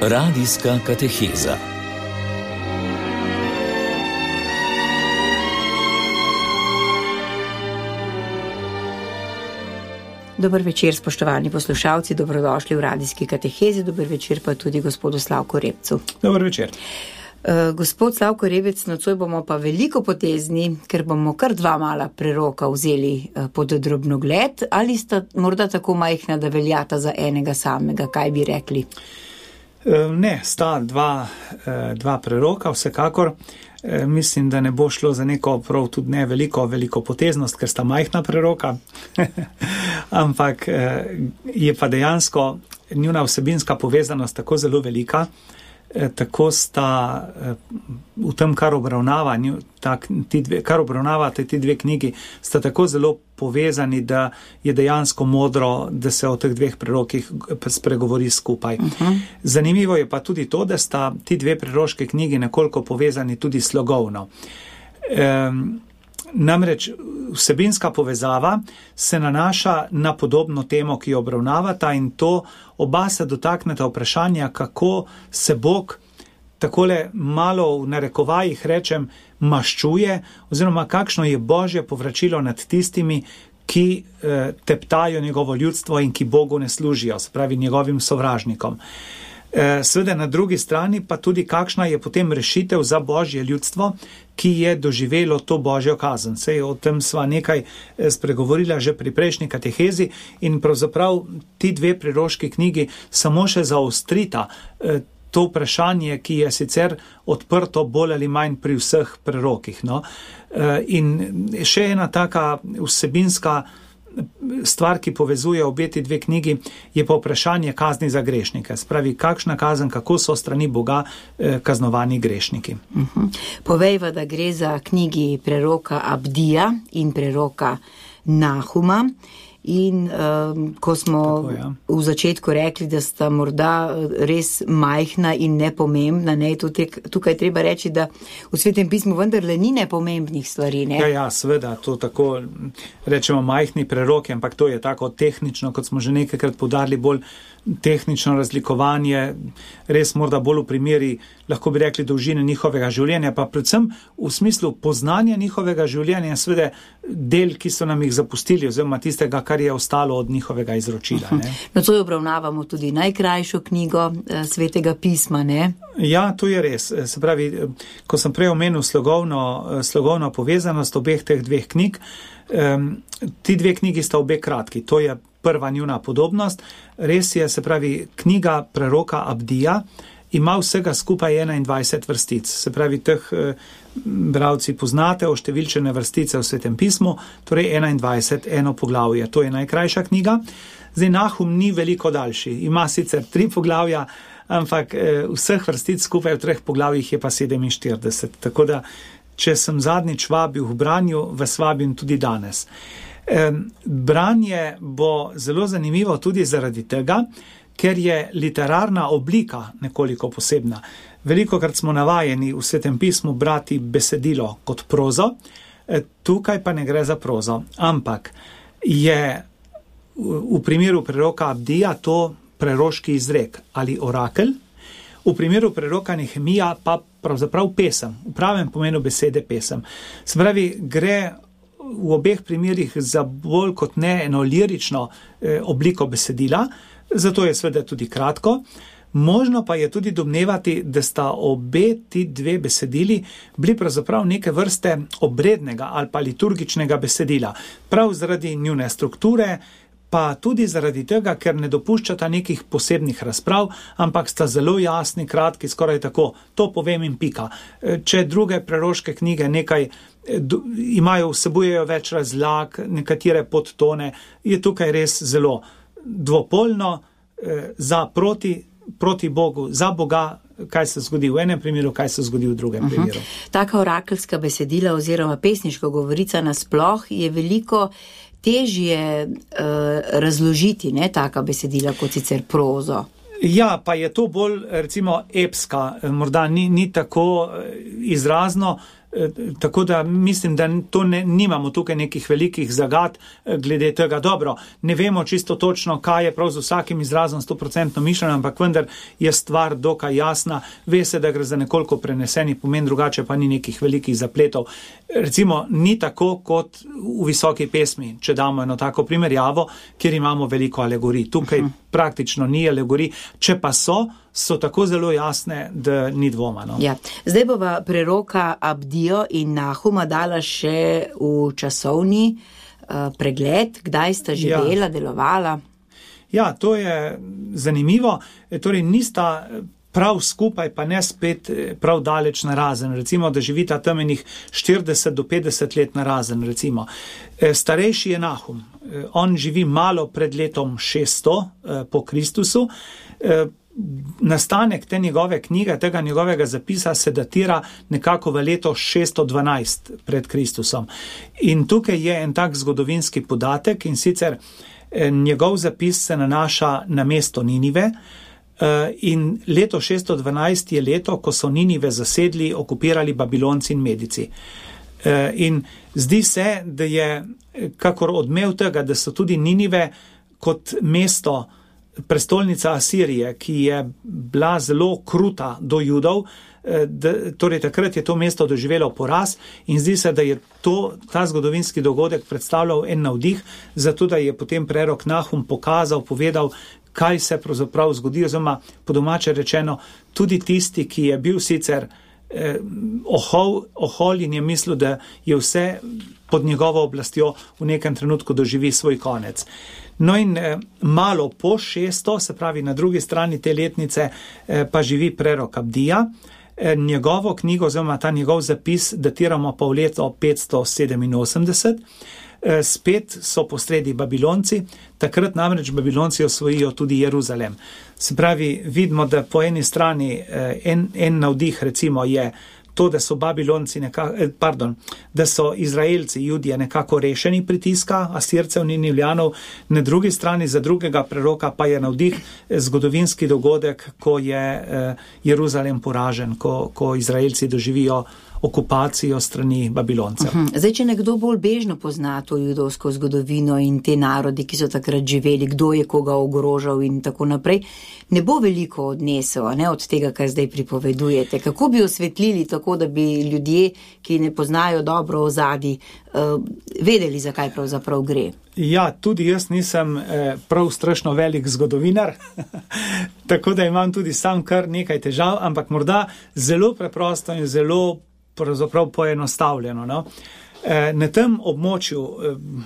Radijska kateheza. Dober večer, spoštovani poslušalci, dobrodošli v radijski katehezi, dober večer pa tudi gospodu Slavku Repcu. Dober večer. Gospod Slavko Rebec, nocoj bomo pa veliko potezni, ker bomo kar dva mala preroka vzeli pod drobnogled, ali sta morda tako majhna, da veljata za enega samega, kaj bi rekli? Ne, sta dva preroka, vsekakor. Mislim, da ne bo šlo za neko prav tudi ne veliko poteznost, ker sta majhna preroka, ampak je pa dejansko njuna vsebinska povezanost tako zelo velika, tako sta v tem, kar obravnavate ti dve knjigi, sta tako zelo povezani, da je dejansko modro, da se o teh dveh prerokih spregovori skupaj. Zanimivo je pa tudi to, da sta ti dve preroške knjigi nekoliko povezani tudi slogovno. Namreč vsebinska povezava se nanaša na podobno temo, ki jo obravnavata, in to oba se dotakneta vprašanja, kako se Bog takole malo v narekovajih rečem maščuje, oziroma kakšno je Božje povračilo nad tistimi, ki teptajo njegovo ljudstvo in ki Bogu ne služijo, se pravi njegovim sovražnikom. Seveda na drugi strani pa tudi kakšna je potem rešitev za Božje ljudstvo, ki je doživelo to Božjo kazen. Sej o tem sva nekaj spregovorila že pri prejšnji katehezi in pravzaprav ti dve preroški knjigi samo še zaostrita to vprašanje, ki je sicer odprto bolj ali manj pri vseh prerokih. No? In še ena taka vsebinska stvar, ki povezuje obe ti dve knjigi, je pa vprašanje kazni za grešnike. Spravi, kakšna kazen, kako so strani Boga kaznovani grešniki. Povejva, da gre za knjigi preroka Abdija in preroka Nahuma. In ko smo v začetku rekli, da sta morda res majhna in nepomembna, ne, tukaj treba reči, da v Svetem pismu vendarle ni nepomembnih stvari. Ne? Ja, seveda, to tako rečemo majhni preroki, ampak to je tako tehnično, kot smo že nekajkrat poudarili, bolj tehnično razlikovanje, res morda bolj v primeri, lahko bi rekli, dolžine njihovega življenja, pa predvsem v smislu poznanja njihovega življenja, seveda del, ki so nam jih zapustili, oziroma tistega, kar je ostalo od njihovega izročila. Ne? Nocoj obravnavamo tudi najkrajšo knjigo Svetega pisma, ne? Ja, to je res. Se pravi, ko sem prej omenil slogovno povezanost obeh teh dveh knjig, ti dve knjigi sta obe kratki, to je prva njuna podobnost. Res je, se pravi, knjiga preroka Abdija ima vsega skupaj 21 vrstic. Se pravi, teh bralci poznate oštevilčene vrstice v Svetem pismu, torej 21, eno poglavje. To je najkrajša knjiga. Zdaj, Nahum ni veliko daljši. Ima sicer 3 poglavja, ampak vseh vrstic skupaj v 3 poglavjih je pa 47. Tako da, če sem zadnjič vabil v branju, vas vabim tudi danes. Branje bo zelo zanimivo tudi zaradi tega, ker je literarna oblika nekoliko posebna. Velikokrat smo navajeni v Svetem pismu brati besedilo kot prozo, tukaj pa ne gre za prozo, ampak je v primeru preroka Abdija to preroški izrek ali orakel, v primeru preroka Nehemija pa pravzaprav pesem, v pravem pomenu besede pesem. Se pravi, gre v obeh primerih za bolj kot ne eno lirično obliko besedila, zato je seveda tudi kratko. Možno pa je tudi domnevati, da sta obe ti dve besedili bili pravzaprav neke vrste obrednega ali pa liturgičnega besedila. Prav zaradi njune strukture, pa tudi zaradi tega, ker ne dopuščata nekih posebnih razprav, ampak sta zelo jasni, kratki, skoraj tako, to povem in pika. Če druge preroške knjige nekaj vsebujejo več razlag, nekatere podtone, je tukaj res zelo dvopolno, za proti Bogu, za Boga, kaj se zgodi v enem primeru, kaj se zgodi v drugem primeru. Taka orakelska besedila oziroma pesniško govorica nasploh je veliko težje razložiti, ne, taka besedila kot sicer prozo. Ja, pa je to bolj, recimo, epska, morda ni tako izrazno, Tako da mislim, da nimamo tukaj nekih velikih zagad glede tega. Dobro, ne vemo čisto točno, kaj je prav z vsakim izrazom 100% mišljeno, ampak vendar je stvar dokaj jasna. Ve se, da gre za nekoliko preneseni pomen, drugače pa ni nekih velikih zapletov. Recimo, ni tako kot v visoki pesmi, če damo eno tako primerjavo, kjer imamo veliko alegorij. Tukaj praktično ni alegorij, če pa so tako zelo jasne, da ni dvoma. No? Ja. Zdaj bova preroka Abdijo in Nahuma dala še v časovni pregled, kdaj sta živela, delovala. Ja, to je zanimivo. Torej, nista prav skupaj, pa ne spet prav daleč narazen. Recimo, da živita tam enih 40 do 50 let narazen, recimo. Starejši je Nahum. On živi malo pred letom 600 po Kristusu. Nastanek te njegove knjige, tega njegovega zapisa se datira nekako v leto 612 pred Kristusom. In tukaj je en tak zgodovinski podatek, in sicer njegov zapis se nanaša na mesto Ninive, in leto 612 je leto, ko so Ninive zasedli, okupirali Babilonci in Medici. In zdi se, da je kakor odmev tega, da so tudi Ninive kot mesto, prestolnica Asirije, ki je bila zelo kruta do Judov, torej takrat je to mesto doživelo poraz, in zdi se, da je ta zgodovinski dogodek predstavljal en navdih, zato da je potem prerok Nahum pokazal, povedal, kaj se pravzaprav zgodi, oziroma po domače rečeno, tudi tisti, ki je bil sicer ohol in je mislil, da je vse pod njegovo oblastjo v nekem trenutku doživi svoj konec. No in malo po 600, se pravi na drugi strani te letnice, pa živi prerok Abdija. Njegovo knjigo, oziroma ta njegov zapis datiramo pa v leto 587. Spet so posredi Babilonci, takrat namreč Babilonci osvojijo tudi Jeruzalem. Se pravi, vidimo, da po eni strani en navdih recimo je to, da so Babilonci da so Izraelci, Judje nekako rešeni pritiska Asircev, Ninivljanov, na drugi strani za drugega preroka pa je navdih zgodovinski dogodek, ko je Jeruzalem poražen, ko Izraelci doživijo okupacijo strani Babiloncev. Zdaj, če nekdo bolj bežno pozna to judovsko zgodovino in te narodi, ki so takrat živeli, kdo je koga ogrožal in tako naprej, ne bo veliko odnesel, ne, od tega, kar zdaj pripovedujete. Kako bi osvetlili tako, da bi ljudje, ki ne poznajo dobro ozadij, vedeli, zakaj pravzaprav gre? Ja, tudi jaz nisem prav strašno velik zgodovinar, tako da imam tudi sam kar nekaj težav, ampak morda zelo preprosto in zelo pravzaprav poenostavljeno. No? Na tem območju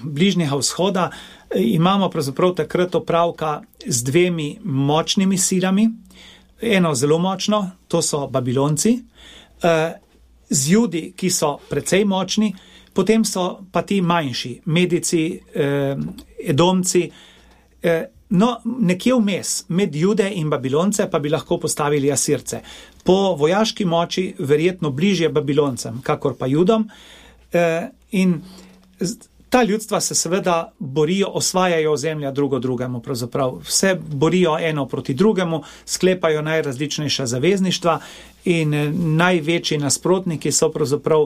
Bližnjega vzhoda imamo pravzaprav takrat opravka z dvemi močnimi silami. Eno zelo močno, to so Babilonci, z Judi, ki so precej močni, potem so pa ti manjši, Medici, Edomci. No, nekje vmes med Jude in Babilonce pa bi lahko postavili Asirce. Po vojaški moči verjetno bližje Babiloncem, kakor pa Judom. In ta ljudstva se seveda borijo, osvajajo ozemlja drugo drugemu, pravzaprav vse borijo eno proti drugemu, sklepajo najrazličnejša zavezništva in največji nasprotniki so pravzaprav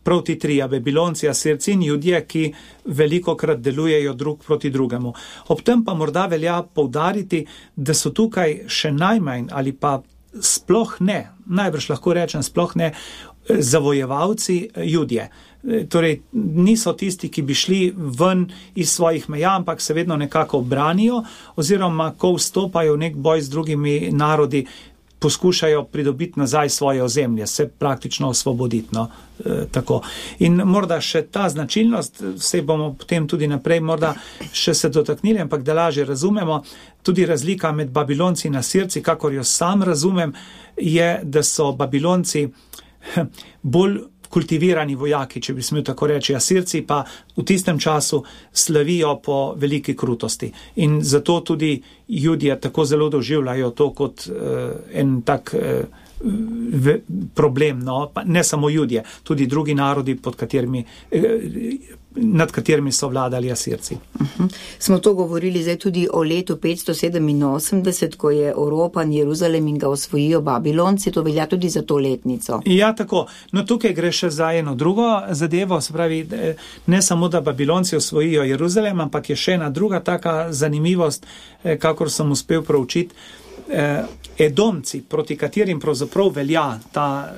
prav ti trije, Babilonci, Asirci in Judje, ki velikokrat delujejo drug proti drugemu. Ob tem pa morda velja poudariti, da so tukaj še najmanj ali pa sploh ne, najbrž lahko rečem sploh ne, zavojevalci Judje. Torej, niso tisti, ki bi šli ven iz svojih meja, ampak se vedno nekako branijo, oziroma ko vstopajo v nek boj z drugimi narodi, poskušajo pridobiti nazaj svoje ozemlje, se praktično osvoboditi. No, tako. In morda še ta značilnost, se bomo potem tudi naprej morda še se dotaknili, ampak da lažje razumemo, tudi razlika med Babilonci in Asirci, kakor jo sam razumem, je, da so Babilonci bolj kultivirani vojaki, če bi smel tako reči. Asirci pa v tistem času slavijo po veliki krutosti. In zato tudi Judje tako zelo doživljajo to kot en tak problem, no, pa ne samo Judje, tudi drugi narodi, nad katerimi so vladali Asirci. Smo to govorili zdaj tudi o letu 587, ko je oropan Jeruzalem in ga osvojijo Babilonci, to velja tudi za to letnico. Ja, tako. No, tukaj gre še za eno drugo zadevo, se pravi, ne samo, da Babilonci osvojijo Jeruzalem, ampak je še ena druga taka zanimivost, kakor sem uspel proučiti. Edomci, proti katerim pravzaprav velja ta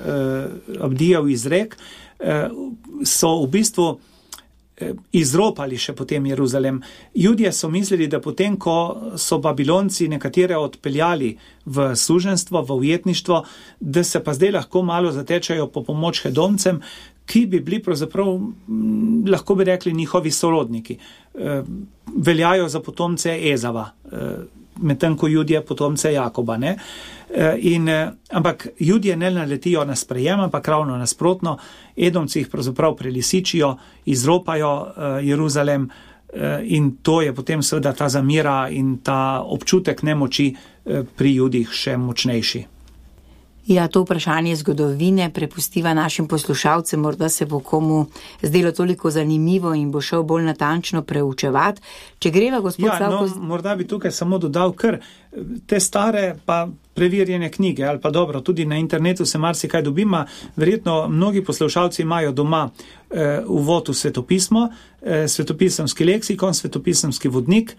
Abdijev izrek, so v bistvu izropali še potem Jeruzalem. Judje so mislili, da potem, ko so Babilonci nekatere odpeljali v suženstvo, v ujetništvo, da se pa zdaj lahko malo zatečajo po pomoč Edomcem, ki bi bili pravzaprav, lahko bi rekli, njihovi sorodniki. Veljajo za potomce Ezava, medtem ko Judje potomce Jakoba, ne? Ampak Judje ne naletijo na sprejem, ampak ravno nasprotno, Edomci jih pravzaprav prelisičijo, izropajo Jeruzalem in to je potem seveda ta zamira in ta občutek nemoči pri Judih še močnejši. Ja, to vprašanje zgodovine prepustiva našim poslušalcem, morda se bo komu zdelo toliko zanimivo in bo šel bolj natančno preučevati. Če greva, gospod Slavko... Ja, morda bi tukaj samo dodal, ker te stare pa preverjene knjige, ali pa dobro, tudi na internetu se marsikaj dobima, verjetno mnogi poslušalci imajo doma uvod v svetopismo, svetopisemski leksikon, svetopisemski vodnik.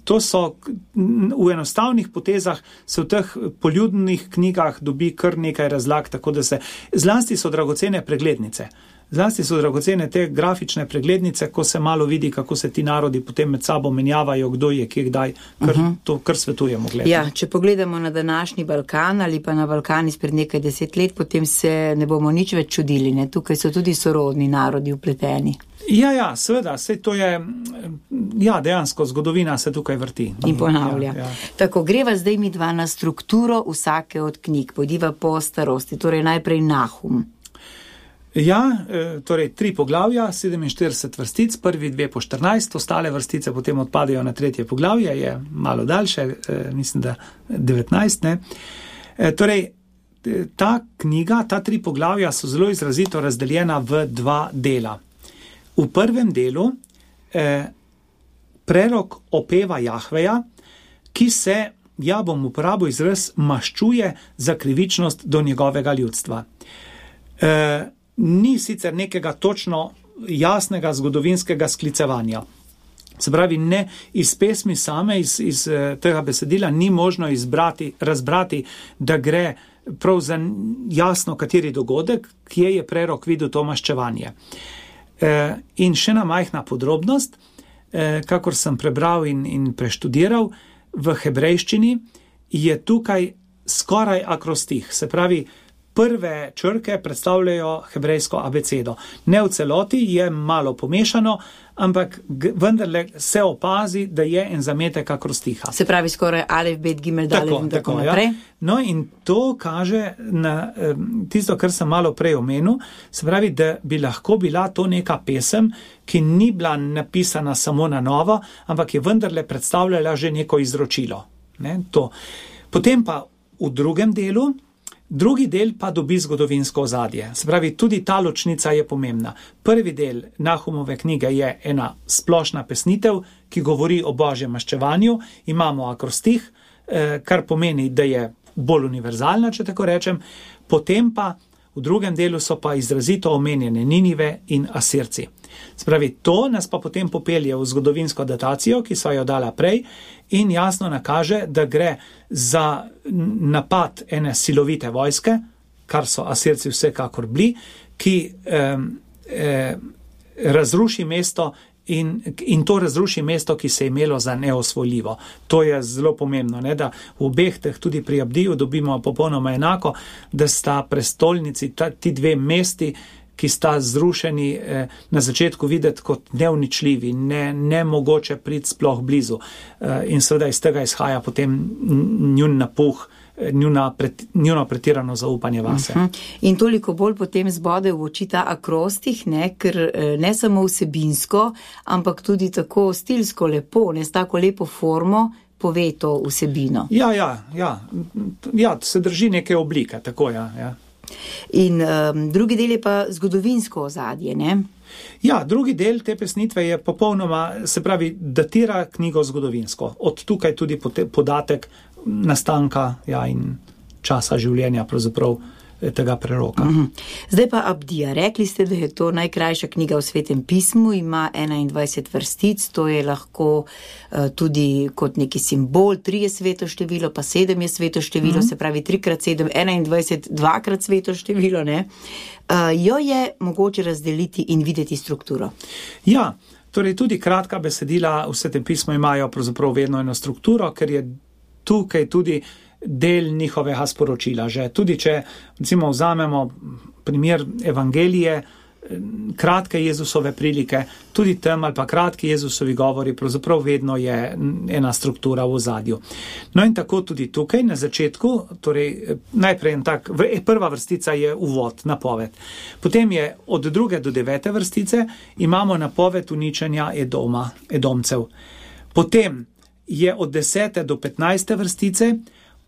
To so v enostavnih potezah, se v teh poljudnih knjigah dobi kar nekaj razlag, tako da se zlasti so dragocene preglednice. Zlasti so dragocene te grafične preglednice, ko se malo vidi, kako se ti narodi potem med sabo menjavajo, kdo je, kje, kdaj, to kar svetujemo gledati. Ja, če pogledamo na današnji Balkan ali pa na Balkan izpred nekaj 10 let, potem se ne bomo nič več čudili, ne? Tukaj so tudi sorodni narodi vpleteni. Ja, seveda, saj to je, dejansko zgodovina se tukaj vrti. In ponavlja. Ja. Tako, greva zdaj mi dva na strukturo vsake od knjig, pojdiva po starosti, torej najprej Nahum. Ja, torej 3 poglavja, 47 vrstic, prvi 2 po 14, ostale vrstice potem odpadajo na 3. poglavje, je malo daljše, mislim, da 19, ne. Torej, ta knjiga, ta 3 poglavja so zelo izrazito razdeljena v 2 dela. V prvem delu prerok opeva Jahveja, ki se, bom uporabil izraz, maščuje za krivičnost do njegovega ljudstva. Ni sicer nekega točno jasnega zgodovinskega sklicevanja. Se pravi, ne iz pesmi same, iz tega besedila ni možno razbrati, da gre prav za jasno kateri dogodek, kje je prerok videl to maščevanje. In še ena majhna podrobnost, kakor sem prebral in preštudiral, v hebrejščini je tukaj skoraj akrostih, se pravi, prve črke predstavljajo hebrejsko abecedo. Ne v celoti, je malo pomešano, ampak vendarle se opazi, da je en zametek akrostiha. Se pravi skoraj alef, bet, gimel, dalef in tako naprej. Ja. No in to kaže na tisto, kar sem malo prej omenil, se pravi, da bi lahko bila to neka pesem, ki ni bila napisana samo na novo, ampak je vendarle predstavljala že neko izročilo. Ne, to. Potem pa v drugem delu, drugi del pa dobi zgodovinsko ozadje. Se pravi, tudi ta ločnica je pomembna. Prvi del Nahumove knjige je ena splošna pesnitev, ki govori o božjem maščevanju. Imamo akrostih, kar pomeni, da je bolj univerzalna, če tako rečem. Potem pa v drugem delu so pa izrazito omenjene Ninive in Asirci. Se pravi, to nas pa potem popelje v zgodovinsko datacijo, ki sva jo dala prej, in jasno nakaže, da gre za napad ene silovite vojske, kar so Asirci vsekakor bili, ki razruši mesto in to razruši mesto, ki se je imelo za neosvojljivo. To je zelo pomembno, ne, da v obeh teh tudi pri Abdiju dobimo popolnoma enako, da sta prestolnici, ti 2 mesti, ki sta zrušeni na začetku videti kot neuničljivi, nemogoče priti sploh blizu. In seveda iz tega izhaja potem njun napuh, njuno pretirano zaupanje vase. In toliko bolj potem zbode v oči ta akrostih, ne, ker ne samo vsebinsko, ampak tudi tako stilsko lepo, ne, s tako lepo formo pove to vsebino. Ja, se drži neke oblike, tako ja. In drugi del je pa zgodovinsko ozadje, ne? Ja, drugi del te pesnitve je popolnoma, se pravi, datira knjigo zgodovinsko. Od tukaj tudi podatek nastanka in časa življenja pravzaprav tega preroka. Zdaj pa Abdija. Rekli ste, da je to najkrajša knjiga v Svetem pismu, ima 21 vrstic, to je lahko tudi kot neki simbol, 3 je sveto število, pa 7 je sveto število, se pravi 3x7, 21, 2x sveto število, ne? Jo je mogoče razdeliti in videti strukturo. Ja, torej tudi kratka besedila v Svetem pismu imajo pravzaprav vedno eno strukturo, ker je tukaj tudi del njihovega sporočila. Že tudi če recimo vzamemo primer evangelije, kratke Jezusove prilike, tudi tam ali pa kratki Jezusovi govori, pravzaprav vedno je ena struktura v ozadju. No in tako tudi tukaj na začetku, torej najprej prva vrstica je uvod, napoved. Potem je od 2. do 9. vrstice imamo napoved uničenja Edomcev. Potem je od 10. do 15. vrstice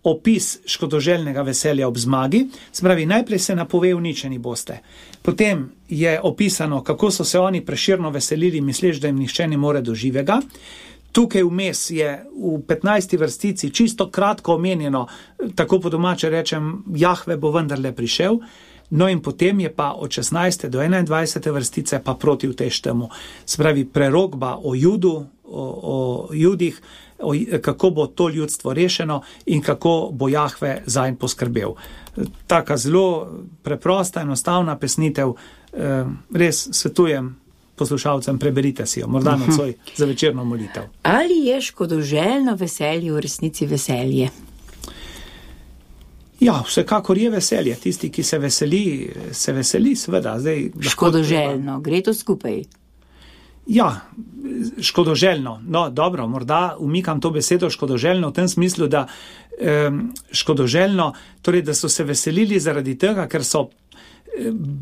opis škodoželjnega veselja ob zmagi, se pravi, najprej se napove uničeni boste. Potem je opisano, kako so se oni preširno veselili, misleč, da jim nihče ne more do živega. Tukaj vmes je v 15. vrstici čisto kratko omenjeno, tako po domače rečem, Jahve bo vendarle prišel. No in potem je pa od 16. do 21. vrstice pa proti vteštemu. Se pravi, prerokba o Judih, kako bo to ljudstvo rešeno in kako bo Jahve zanj poskrbel. Taka zelo preprosta, enostavna pesnitev, res svetujem poslušalcem, preberite si jo, morda nocoj za večerno molitev. Ali je škodoželjno veselje v resnici veselje? Ja, vsekakor je veselje. Tisti, ki se veseli, seveda. Škodoželjno, gre to skupaj? Ja, škodoželjno. No, dobro, morda umikam to besedo škodoželjno v tem smislu, da škodoželjno, torej, da so se veselili zaradi tega, ker so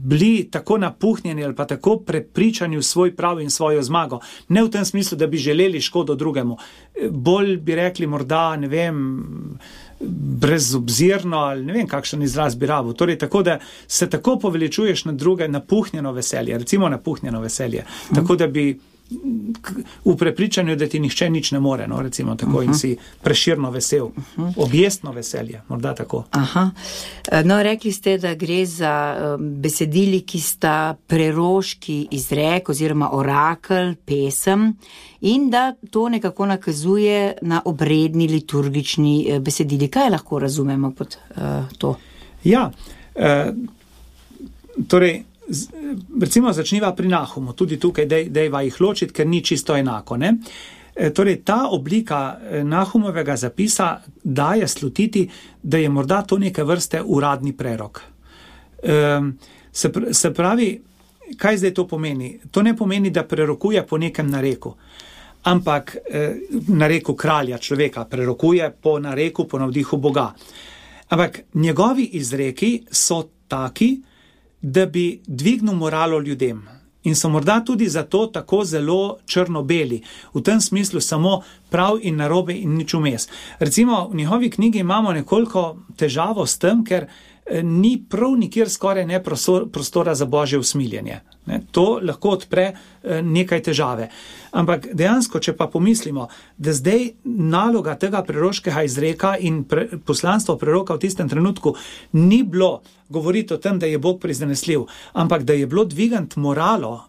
bili tako napuhnjeni ali pa tako prepričani v svoj prav in svojo zmago. Ne v tem smislu, da bi želeli škodo drugemu. Bolj bi rekli morda, ne vem, brezobzirno ali ne vem, kakšen izraz bi rabil. Torej, tako da se tako poveličuješ na druge, napuhnjeno veselje, recimo napuhnjeno veselje. Tako da bi v prepričanju, da ti nihče nič ne more, no, recimo tako, in si preširno vesel. Objestno veselje, morda tako. No, rekli ste, da gre za besedili, ki sta preroški izrek oziroma orakel, pesem, in da to nekako nakazuje na obredni liturgični besedili. Kaj lahko razumemo pod to? Ja, torej, recimo začniva pri Nahumu, tudi tukaj dejva jih ločiti, ker ni čisto enako, ne? Torej, ta oblika Nahumovega zapisa daje slutiti, da je morda to neke vrste uradni prerok. Se pravi, kaj zdaj to pomeni? To ne pomeni, da prerokuje po nekem nareku, ampak nareku kralja, človeka, prerokuje po nareku, po navdihu Boga. Ampak njegovi izreki so taki, da bi dvignil moralo ljudem. In so morda tudi zato tako zelo črno-beli. V tem smislu samo prav in narobe in nič vmes. Recimo v njihovi knjigi imamo nekoliko težavo s tem, ker ni prav nikjer skoraj ne prostora za božje usmiljenje. To lahko odpre nekaj težave. Ampak dejansko, če pa pomislimo, da zdaj naloga tega preroškega izreka in poslanstvo preroka v tistem trenutku ni bilo govoriti o tem, da je Bog prizanesljiv, ampak da je bilo dvigant moralo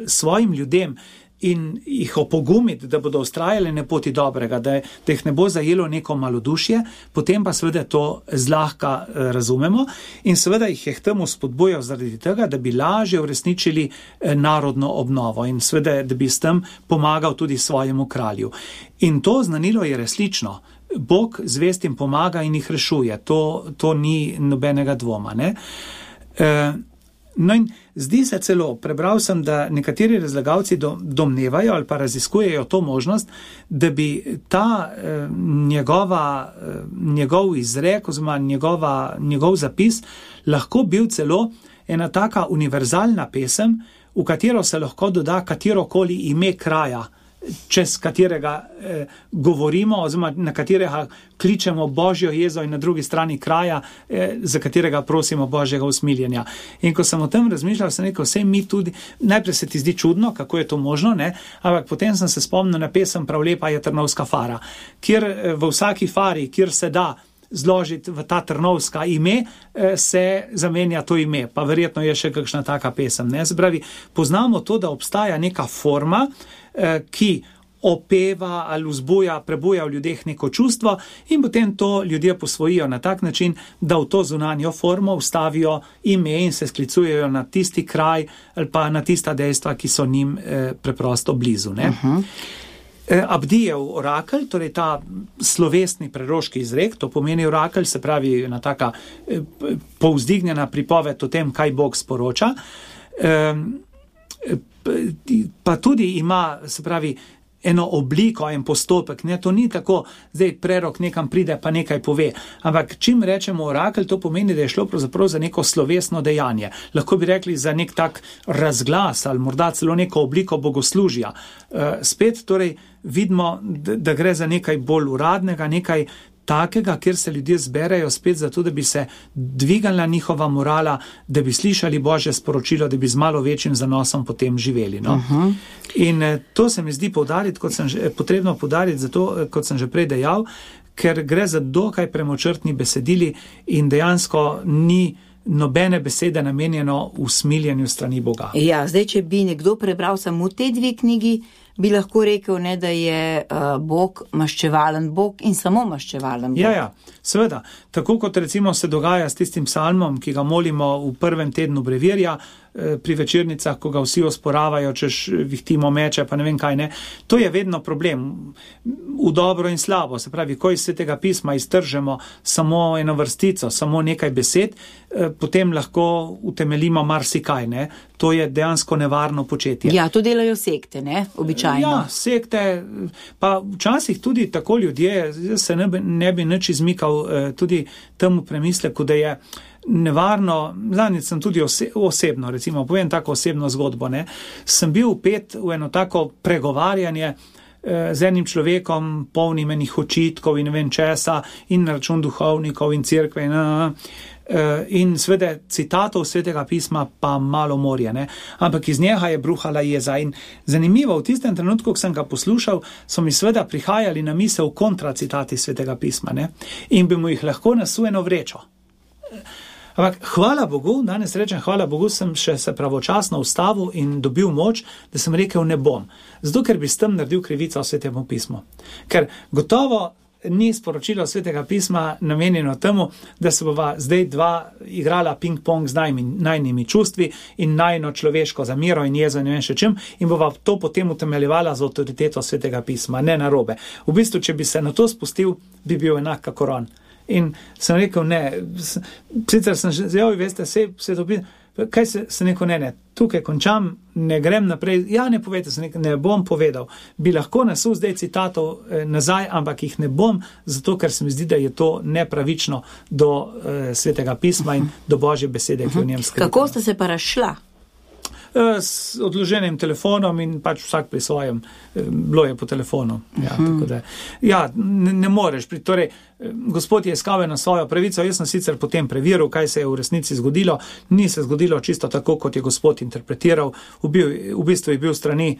svojim ljudem in jih opogumiti, da bodo vztrajali na poti dobrega, da jih ne bo zajelo neko malodušje, potem pa seveda to zlahka razumemo in seveda jih je k temu spodbujal zaradi tega, da bi lažje uresničili narodno obnovo in seveda, da bi s tem pomagal tudi svojemu kralju. In to znanilo je resnično. Bog zvestim pomaga in jih rešuje. To ni nobenega dvoma, ne? No in zdi se celo, prebral sem, da nekateri razlagalci domnevajo ali pa raziskujejo to možnost, da bi ta njegov izrek oziroma njegov zapis lahko bil celo ena taka univerzalna pesem, v katero se lahko doda katerokoli ime kraja čez katerega govorimo, oziroma na katerega kličemo Božjo jezo in na drugi strani kraja, za katerega prosimo Božjega usmiljenja. In ko sem o tem razmišljal, sem rekel, vse mi tudi, najprej se ti zdi čudno, kako je to možno, ne? Ampak potem sem se spomnil na pesem Prav lepa je Trnovska fara, kjer v vsaki fari, kjer se da zložiti v ta trnovska ime, se zamenja to ime, pa verjetno je še kakšna taka pesem. Ne? Se pravi, poznamo to, da obstaja neka forma, ki opeva ali prebuja v ljudeh neko čustvo in potem to ljudje posvojijo na tak način, da v to zunanjo formo vstavijo ime in se sklicujejo na tisti kraj ali pa na tista dejstva, ki so njim preprosto blizu. Ne? Abdijev orakelj, torej ta slovesni preroški izrek, to pomeni orakelj, se pravi ena taka povzdignjena pripoved o tem, kaj Bog sporoča, pa tudi ima, se pravi, eno obliko, en postopek, ne, to ni tako, zdaj prerok nekam pride pa nekaj pove, ampak čim rečemo orakelj, to pomeni, da je šlo pravzaprav za neko slovesno dejanje. Lahko bi rekli za nek tak razglas ali morda celo neko obliko bogoslužja. Spet torej vidimo, da gre za nekaj bolj uradnega, nekaj takega, kjer se ljudje zberejo spet zato, da bi se dvigala njihova morala, da bi slišali Božje sporočilo, da bi z malo večjim zanosom potem živeli. No? In to se mi zdi potrebno poudariti, zato, kot sem že prej dejal, ker gre za dokaj premočrtni besedili in dejansko ni nobene besede namenjeno usmiljenju strani Boga. Ja, zdaj, če bi nekdo prebral samo te dve knjigi, bi lahko rekel, ne, da je Bog maščevalen Bog in samo maščevalen Bog. Ja, seveda. Tako kot recimo se dogaja s tistim psalmom, ki ga molimo v prvem tednu brevirja, pri večernicah, ko ga vsi osporavajo, češ vihtimo meče, pa ne vem kaj ne. To je vedno problem. V dobro in slabo. Se pravi, ko iz Svetega pisma iztržemo samo eno vrstico, samo nekaj besed, potem lahko utemeljimo marsikaj, ne. To je dejansko nevarno početje. Ja, to delajo sekte, ne, običajno. Ja, sekte, pa včasih tudi tako ljudje, se ne bi nič izmikal tudi temu premisleku, da je nevarno, zadnjič sem tudi osebno, recimo, povem tako osebno zgodbo, ne, sem bil vpet v eno tako pregovarjanje z enim človekom, polnim enih očitkov in ne vem česa, in na račun duhovnikov in cerkve in sveda citatov Svetega pisma pa malo morje, ne, ampak iz njega je bruhala jeza in zanimivo, v tistem trenutku, ko sem ga poslušal, so mi sveda prihajali na misel kontracitati Svetega pisma, ne, in bi mu jih lahko nasujeno vrečo. Ampak hvala Bogu, danes rečem hvala Bogu, sem še se pravočasno ustavil in dobil moč, da sem rekel ne bom. Zato, ker bi s tem naredil krivico Svetemu pismu. Ker gotovo ni sporočilo Svetega pisma namenjeno temu, da se bova zdaj dva igrala ping-pong z najnimi čustvi in najno človeško zamero in jezo in ne vem še čim in bova to potem utemeljevala z avtoriteto Svetega pisma, ne narobe. V bistvu, če bi se na to spustil, bi bil enak kakor on. In sem rekel, ne, sicer sem že zjel, veste, se dobi, kaj se neko ne, tukaj končam, ne grem naprej, ja, ne povete, ne bom povedal, bi lahko nasul zdaj citatov nazaj, ampak jih ne bom, zato ker se mi zdi, da je to nepravično do Svetega pisma in do Božje besede, ki v njem skrita. Kako ste se pa razšla? S odloženim telefonom in pač vsak pri svojem, bilo je po telefonu. Ja, tako da, ja, ne moreš. Torej, Gospod je iskal na svojo pravico, jaz sem sicer potem preveril, kaj se je v resnici zgodilo. Ni se zgodilo čisto tako, kot je Gospod interpretiral. V bistvu je bil strani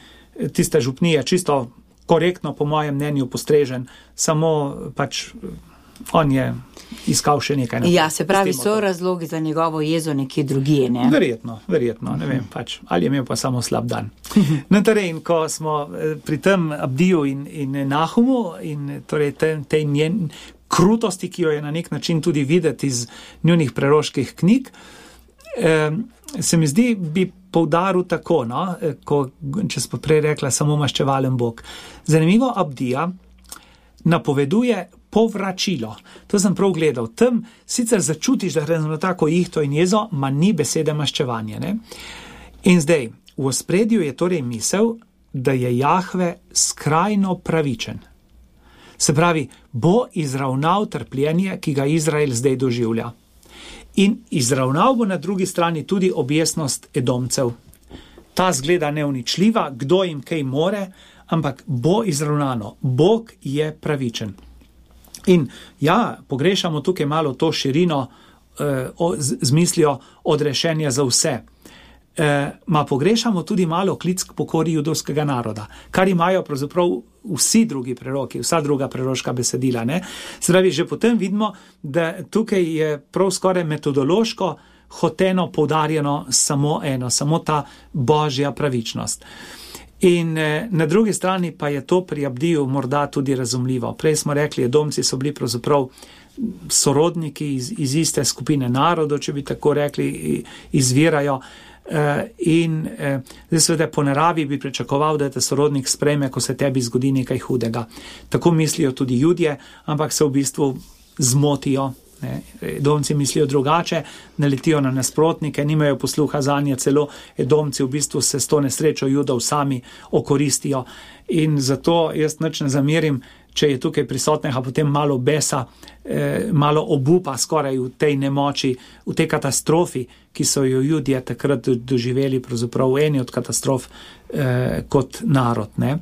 tiste župnije čisto korektno, po mojem mnenju, postrežen. Samo pač on je iskal še nekaj. Ja, se pravi, so razlogi za njegovo jezo nekje drugje, ne? Verjetno, ne vem, pač, ali je imel pa samo slab dan. No, torej, ko smo pri tem Abdiju in Nahumu in torej tej njen krutosti, ki jo je na nek način tudi videti iz njunih preroških knjig, se mi zdi, bi poudaril tako, no, če smo prej rekla, samo maščevalen Bog. Zanimivo, Abdija napoveduje povračilo. To sem prav gledal. Tam sicer začutiš, da gre za tako ihto in jezo, ma ni besede maščevanje. Ne? In zdaj, v ospredju je torej misel, da je Jahve skrajno pravičen. Se pravi, bo izravnal trpljenje, ki ga Izrael zdaj doživlja. In izravnal bo na drugi strani tudi objesnost Edomcev. Ta zgleda neuničljiva, kdo jim kaj more, ampak bo izravnano. Bog je pravičen. In ja, pogrešamo tukaj malo to širino z mislijo odrešenja za vse. Pogrešamo tudi malo klic k pokori judovskega naroda, kar imajo pravzaprav vsi drugi preroki, vsa druga preroška besedila. Ne? Zdravi, že potem vidimo, da tukaj je prav skoraj metodološko hoteno poudarjeno samo eno, samo ta božja pravičnost. In na drugi strani pa je to pri Abdiju morda tudi razumljivo. Prej smo rekli, Edomci so bili pravzaprav sorodniki iz iste skupine narodov, če bi tako rekli, izvirajo. In seveda po naravi bi pričakoval, da te sorodnik sprejme, ko se tebi zgodi nekaj hudega. Tako mislijo tudi Judje, ampak se v bistvu zmotijo. Edomci mislijo drugače, naletijo na nasprotnike, nimajo posluha zanje, celo Edomci v bistvu se s to nesrečo Judov sami okoristijo. In zato jaz nič ne zamerim, če je tukaj prisotnega potem malo besa, malo obupa skoraj v tej nemoči, v tej katastrofi, ki so jo Judje takrat doživeli, pravzaprav eni od katastrof kot narod. Ne?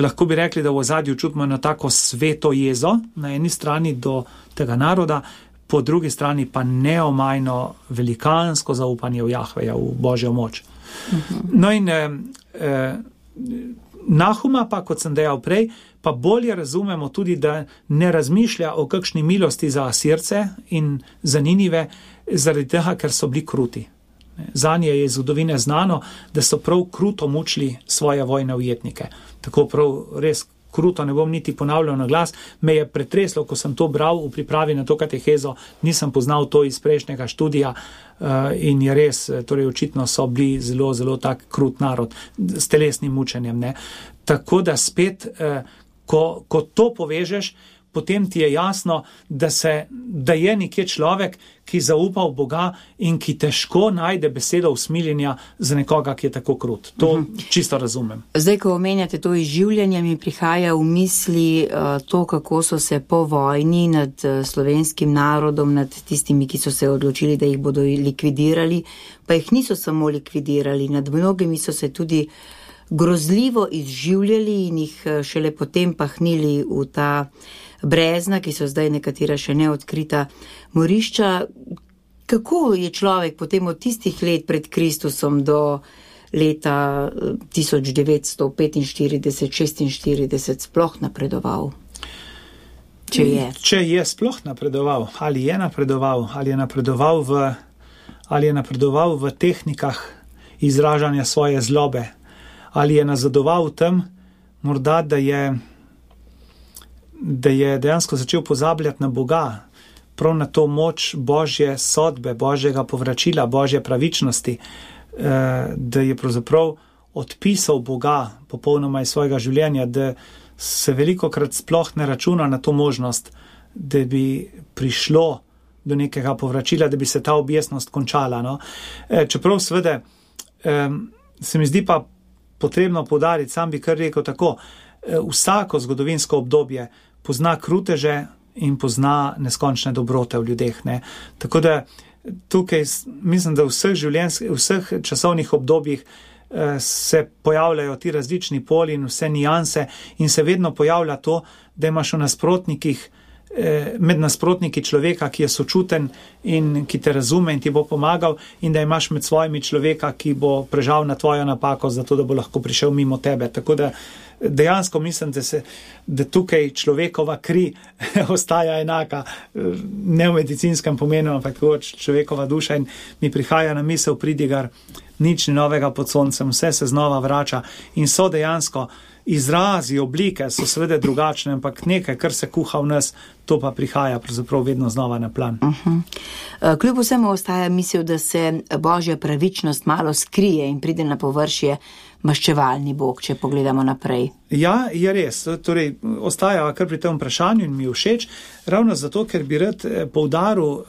Lahko bi rekli, da v ozadju čutimo na tako sveto jezo, na eni strani do tega naroda, po drugi strani pa neomajno velikansko zaupanje v Jahveja, v Božjo moč. No in Nahuma pa, kot sem dejal prej, pa bolje razumemo tudi, da ne razmišlja o kakšni milosti za Asirce in za Ninive, zaradi tega, ker so bili kruti. Zanje je iz zgodovine znano, da so prav kruto mučili svoje vojne ujetnike. Tako prav res kruto, ne bom niti ponavljal na glas, me je pretreslo, ko sem to bral v pripravi na to katehezo, nisem poznal to iz prejšnjega študija in je res, torej očitno so bili zelo, zelo tak krut narod s telesnim mučenjem. Ne. Tako da spet, ko to povežeš, potem ti je jasno, da je nekje človek, ki zaupa v Boga in ki težko najde besedo usmiljenja za nekoga, ki je tako krut. To čisto razumem. Zdaj, ko omenjate to izživljanje, mi prihaja v misli to, kako so se po vojni nad slovenskim narodom, nad tistimi, ki so se odločili, da jih bodo likvidirali, pa jih niso samo likvidirali, nad mnogimi so se tudi grozljivo izživljali in jih šele potem pahnili v ta brezna, ki so zdaj nekatera še neodkrita morišča. Kako je človek potem od tistih let pred Kristusom do leta 1945-46 sploh napredoval? Če je. Če je sploh napredoval, ali je napredoval v tehnikah izražanja svoje zlobe, ali je nazadoval v tem, morda, da je dejansko začel pozabljati na Boga, prav na to moč Božje sodbe, Božjega povračila, Božje pravičnosti, da je pravzaprav odpisal Boga popolnoma iz svojega življenja, da se velikokrat sploh ne računa na to možnost, da bi prišlo do nekega povračila, da bi se ta objestnost končala. No? Čeprav seveda se mi zdi pa potrebno poudariti, sam bi kar rekel tako, vsako zgodovinsko obdobje pozna kruteže in pozna neskončne dobrote v ljudeh. Ne? Tako da tukaj mislim, da v vseh časovnih obdobjih se pojavljajo ti različni poli in vse nijanse in se vedno pojavlja to, da imaš med nasprotniki človeka, ki je sočuten in ki te razume in ti bo pomagal, in da imaš med svojimi človeka, ki bo prežal na tvojo napako, zato da bo lahko prišel mimo tebe. Tako da dejansko mislim, da tukaj človekova kri ostaja enaka, ne v medicinskem pomenu, ampak človekova duša, in mi prihaja na misel pridigar, nič ni novega pod soncem, vse se znova vrača in so dejansko izrazi, oblike so seveda drugačne, ampak nekaj, kar se kuha v nas, to pa prihaja pravzaprav vedno znova na plan. Kljub vsemu ostaja misel, da se Božja pravičnost malo skrije in pride na površje maščevalni Bog, če pogledamo naprej. Ja, je res. Torej, ostaja kar pri tem vprašanju in mi je všeč, ravno zato, ker bi rad poudaril,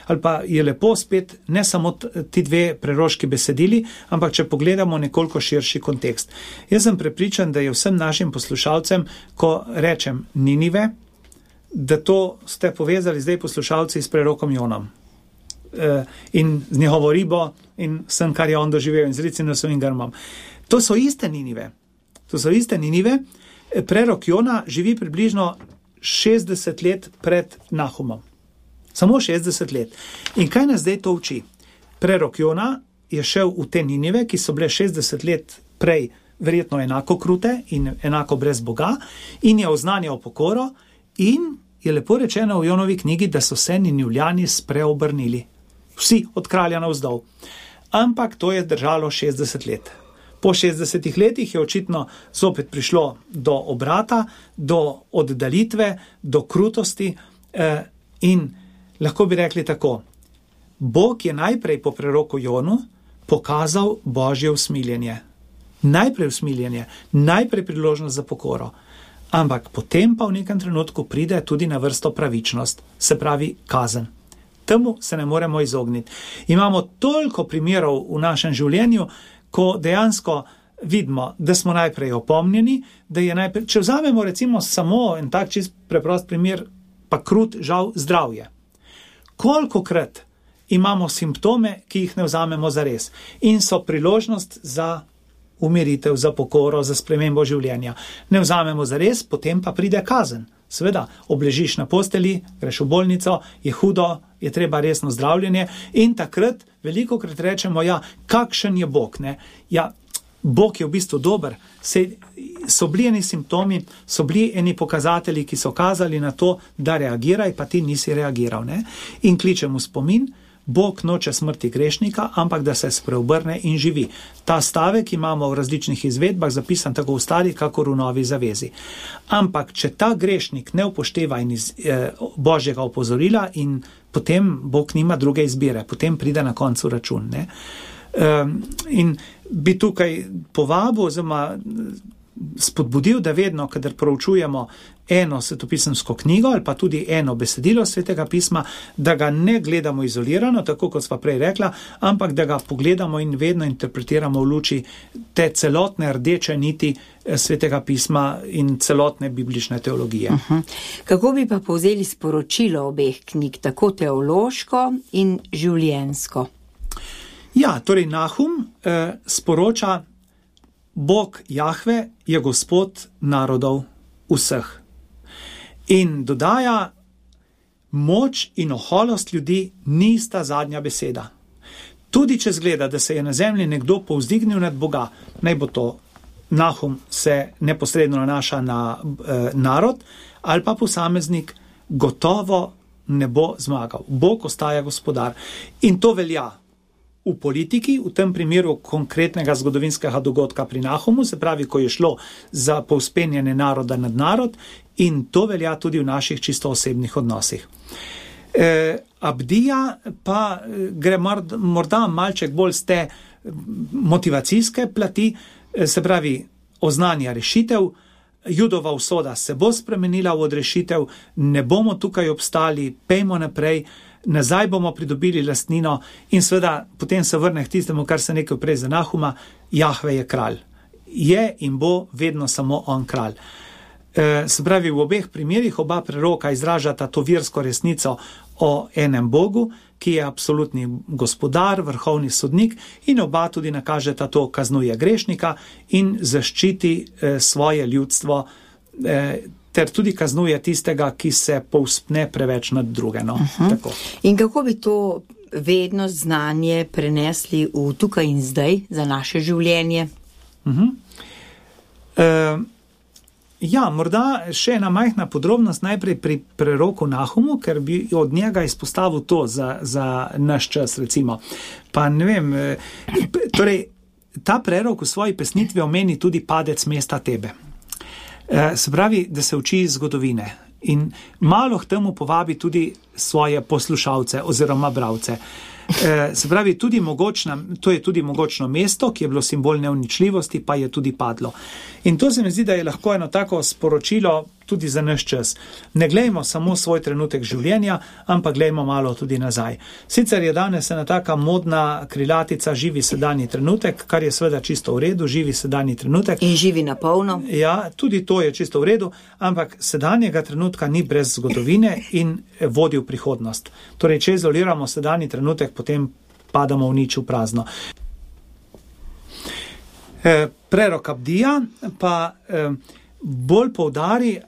ali pa je lepo spet ne samo ti dve preroški besedili, ampak če pogledamo nekoliko širši kontekst. Jaz sem prepričan, da je vsem našim poslušalcem, ko rečem Ninive, da to ste povezali zdaj poslušalci s prerokom Jonom. In z njegovo ribo in vsem, kar je on doživel, in z Ricinosom in Grmom. To so iste Ninive. to so iste Ninive, prerok Jona živi približno 60 let pred Nahumom. Samo 60 let. In kaj nas zdaj to uči? Prerok Jona je šel v te Ninive, ki so bile 60 let prej verjetno enako krute in enako brez Boga, in je oznanjal pokoro, in je lepo rečeno v Jonovi knjigi, da so se Ninivljani spreobrnili. Vsi od kralja navzdol. Ampak to je držalo 60 let. Po 60 letih je očitno zopet prišlo do obrata, do oddalitve, do krutosti in lahko bi rekli tako. Bog je najprej po preroku Jonu pokazal Božje usmiljenje. Najprej usmiljenje, najprej priložnost za pokoro. Ampak potem pa v nekem trenutku pride tudi na vrsto pravičnost, se pravi kazen. Temu se ne moremo izogniti. Imamo toliko primerov v našem življenju, ko dejansko vidimo, da smo najprej opomnjeni, da je najprej, če vzamemo recimo samo en tak čist preprost primer, pa krut žal zdravje. Kolikokrat imamo simptome, ki jih ne vzamemo zares in so priložnost za umiritev, za pokoro, za spremembo življenja. Ne vzamemo zares, potem pa pride kazen. Seveda, obležiš na posteli, greš v bolnico, je hudo, je treba resno zdravljenje in takrat velikokrat rečemo, ja, kakšen je Bog, ne? Ja, Bog je v bistvu dober. So bili eni simptomi, so bili eni pokazatelji, ki so kazali na to, da reagiraj, pa ti nisi reagiral, ne? In kličemo spomin, Bog noče smrti grešnika, ampak da se spreobrne in živi. Ta stavek imamo v različnih izvedbah zapisan tako v stari, kakor v novi zavezi. Ampak, če ta grešnik ne upošteva Božjega opozorila, in potem Bog nima druge izbire, potem pride na koncu račun, ne? In bi tukaj povabil, oziroma spodbudil, da vedno, kadar proučujemo eno svetopisemsko knjigo ali pa tudi eno besedilo Svetega pisma, da ga ne gledamo izolirano, tako kot sva prej rekla, ampak da ga pogledamo in vedno interpretiramo v luči te celotne rdeče niti Svetega pisma in celotne biblične teologije. Kako bi pa povzeli sporočilo obeh knjig, tako teološko in življenjsko? Ja, torej Nahum sporoča, Bog Jahve je Gospod narodov vseh. In dodaja, moč in oholost ljudi nista zadnja beseda. Tudi če zgleda, da se je na zemlji nekdo povzdignil nad Boga, naj bo to Nahum se neposredno nanaša na narod, ali pa posameznik, gotovo ne bo zmagal. Bog ostaja gospodar. In to velja v politiki, v tem primeru konkretnega zgodovinskega dogodka pri Nahumu, se pravi, ko je šlo za povzpenjanje naroda nad narod, in to velja tudi v naših čisto osebnih odnosih. Abdija pa gre morda malček bolj z te motivacijske plati, se pravi, oznanja rešitev, Judova usoda se bo spremenila v odrešitev, ne bomo tukaj obstali, pejmo naprej, nazaj bomo pridobili lastnino in seveda potem se vrne k tistemu, kar se nekaj prej za Nahuma, Jahve je kralj. Je in bo vedno samo on kralj. Se pravi, v obeh primerih oba preroka izražata to versko resnico o enem Bogu, ki je absolutni gospodar, vrhovni sodnik, in oba tudi nakažeta to, kaznuje grešnika in zaščiti svoje ljudstvo, ter tudi kaznuje tistega, ki se povzpne preveč nad druge. No? Tako. In kako bi to vednost, znanje prenesli v tukaj in zdaj za naše življenje? Ja, morda še ena majhna podrobnost najprej pri preroku Nahumu, ker bi od njega izpostavil to za naš čas, recimo. Pa ne vem, torej, ta prerok v svoji pesnitvi omeni tudi padec mesta Tebe. Se pravi, da se uči iz zgodovine in malo k temu povabi tudi svoje poslušalce oziroma bralce. Se pravi, to je tudi mogočno mesto, ki je bilo simbol neuničljivosti, pa je tudi padlo. In to se mi zdi, da je lahko eno tako sporočilo tudi za naš čas. Ne glejmo samo svoj trenutek življenja, ampak glejmo malo tudi nazaj. Sicer je danes ena taka modna krilatica živi sedanji trenutek, kar je seveda čisto v redu, živi sedanji trenutek. In živi na polno. Ja, tudi to je čisto v redu, ampak sedanjega trenutka ni brez zgodovine in vodi v prihodnost. Torej, če izoliramo sedanji trenutek, potem padamo v nič, v prazno. Prerok Abdija pa bolj poudari,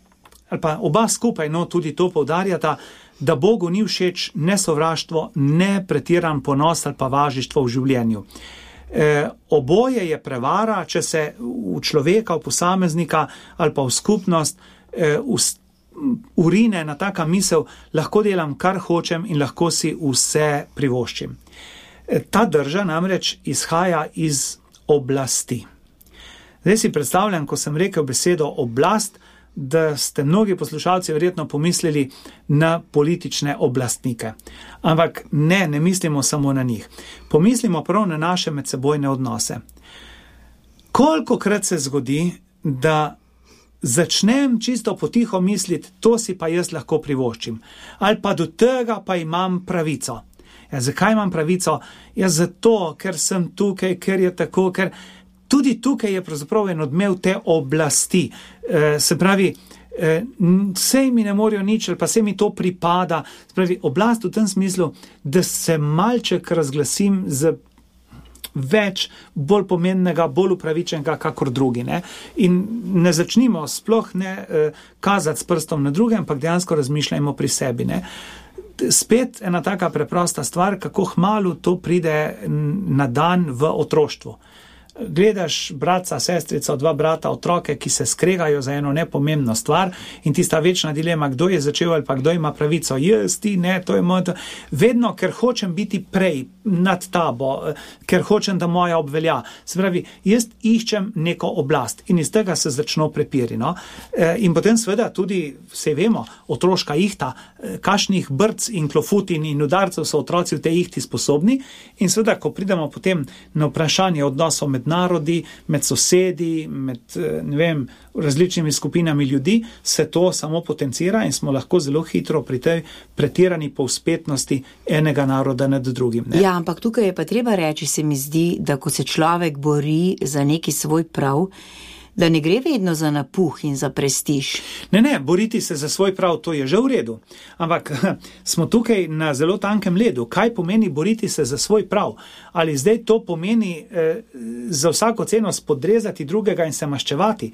ali pa oba skupaj, no, tudi to poudarjata, da Bogu ni všeč ne sovraštvo, ne pretiran ponos ali pa važištvo v življenju. Oboje je prevara, če se v človeka, v posameznika ali pa v skupnost urine na taka misel, lahko delam kar hočem in lahko si vse privoščim. Ta drža namreč izhaja iz oblasti. Zdaj si predstavljam, ko sem rekel besedo oblast, da ste mnogi poslušalci verjetno pomislili na politične oblastnike. Ampak ne mislimo samo na njih. Pomislimo prav na naše medsebojne odnose. Kolikokrat se zgodi, da začnem čisto potiho misliti, to si pa jaz lahko privoščim. Ali pa do tega pa imam pravico. Ja, zakaj imam pravico? Ja, zato, ker sem tukaj, ker je tako, ker tudi tukaj je pravzaprav en odmev te oblasti. Se pravi, sej mi ne morejo nič, ali pa sej mi to pripada. Se pravi, oblast v tem smislu, da se malček razglasim z več, bolj pomembnega, bolj upravičenega, kakor drugi. Ne? In ne začnimo sploh ne kazati s prstom na druge, ampak dejansko razmišljajmo pri sebi. Ne? Spet ena taka preprosta stvar, kako hmalu to pride na dan v otroštvu. Gledaš bratca, sestrico, dva brata, otroke, ki se skregajo za eno nepomembno stvar in tista večna dilema, kdo je začel ali pa kdo ima pravico, jaz, ti, ne, to je moj. Vedno, ker hočem biti prej nad tabo, ker hočem, da moja obvelja. Se pravi, jaz iščem neko oblast in iz tega se začno prepiri. No? In potem seveda tudi, vse vemo, otroška ihta, kakšnih brc in klofutin in udarcev so otroci v tej ihti sposobni in seveda, ko pridemo potem na vprašanje odnosov med narodi, med sosedi, med, ne vem, različnimi skupinami ljudi, se to samo potencira in smo lahko zelo hitro pri tej pretirani povzpetnosti enega naroda nad drugim. Ne? Ja, ampak tukaj je pa treba reči, se mi zdi, da ko se človek bori za neki svoj prav, da ne gre vedno za napuh in za prestiž. Ne, boriti se za svoj prav, to je že v redu. Ampak smo tukaj na zelo tankem ledu. Kaj pomeni boriti se za svoj prav? Ali zdaj to pomeni za vsako ceno spodrezati drugega in se maščevati?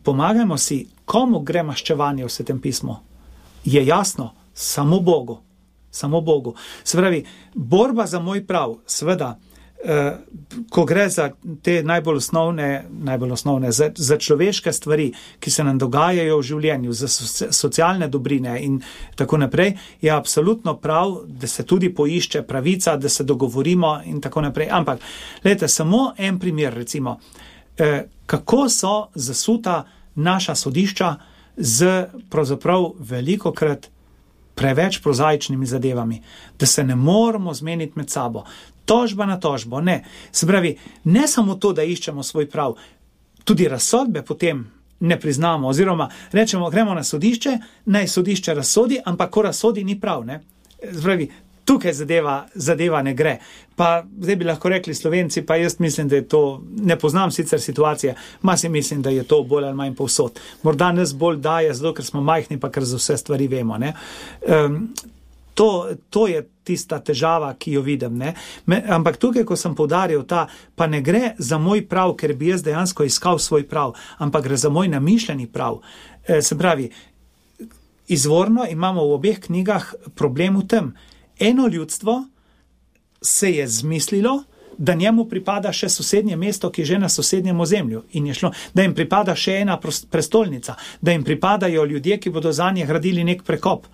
Pomagajmo si, komu gre maščevanje v Svetem pismu? Je jasno, samo Bogu. Samo Bogu. Se pravi, borba za moj prav, seveda, ko gre za te najbolj osnovne, za človeške stvari, ki se nam dogajajo v življenju, za socialne dobrine in tako naprej, je absolutno prav, da se tudi poišče pravica, da se dogovorimo in tako naprej. Ampak, gledajte, samo en primer, recimo, kako so zasuta naša sodišča z pravzaprav velikokrat preveč prozaičnimi zadevami, da se ne moramo zmeniti med sabo. Tožba na tožbo, ne. Se pravi, ne samo to, da iščemo svoj prav, tudi razsodbe potem ne priznamo, oziroma rečemo, gremo na sodišče, naj sodišče razsodi, ampak ko razsodi ni prav, ne. Se pravi, tukaj zadeva ne gre. Pa zdaj bi lahko rekli Slovenci, pa jaz mislim, da je to, ne poznam sicer situacije, si mislim, da je to bolj ali manj povsod. Morda nas bolj daje, zato ker smo majhni, pa ker za vse stvari vemo, ne. To je tista težava, ki jo vidim. Ne? Ampak tukaj, ko sem poudaril pa ne gre za moj prav, ker bi jaz dejansko iskal svoj prav, ampak gre za moj namišljeni prav. Se pravi, izvorno imamo v obeh knjigah problem v tem. Eno ljudstvo se je zmislilo, da njemu pripada še sosednje mesto, ki je že na sosednjem ozemlju in je šlo, da jim pripada še ena prestolnica, da jim pripadajo ljudje, ki bodo zanje gradili nek prekop.